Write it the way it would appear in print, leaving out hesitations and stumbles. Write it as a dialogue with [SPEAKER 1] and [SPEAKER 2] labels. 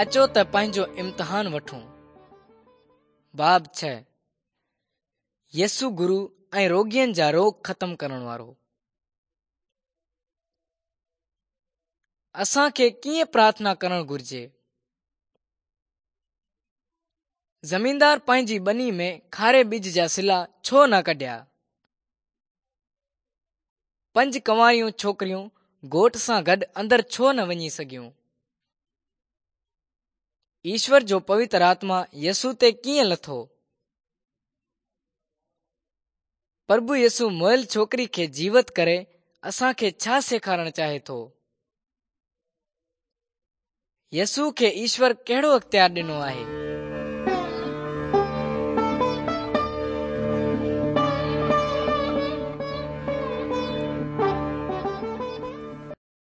[SPEAKER 1] اچو ته پنهنجو امتحان وٺون. باب 6. يسوع گرو ۽ روڳين جا روڳ ختم ڪرڻ وارو. اسان کي ڪيئن پرارٿنا ڪرڻ گهرجي؟ زميندار پنهنجي ٻني ۾ کاري ٻج جا سلا ڇو نه ڪڍيا؟ پنج ڪنواريون ڇوڪريون گهوٽ سان گڏ اندر ڇو نه وڃي سگهيون؟ ايشور جو پوتر آتما يسوع تي ڪيئن لٿو؟ پرڀو يسوع مئل ڇوڪري کي جيوت ڪري اسان کي ڇا سيکارڻ چاهي ٿو؟ يسوع کي ايشور ڪهڙو اختيار ڏنو آهي؟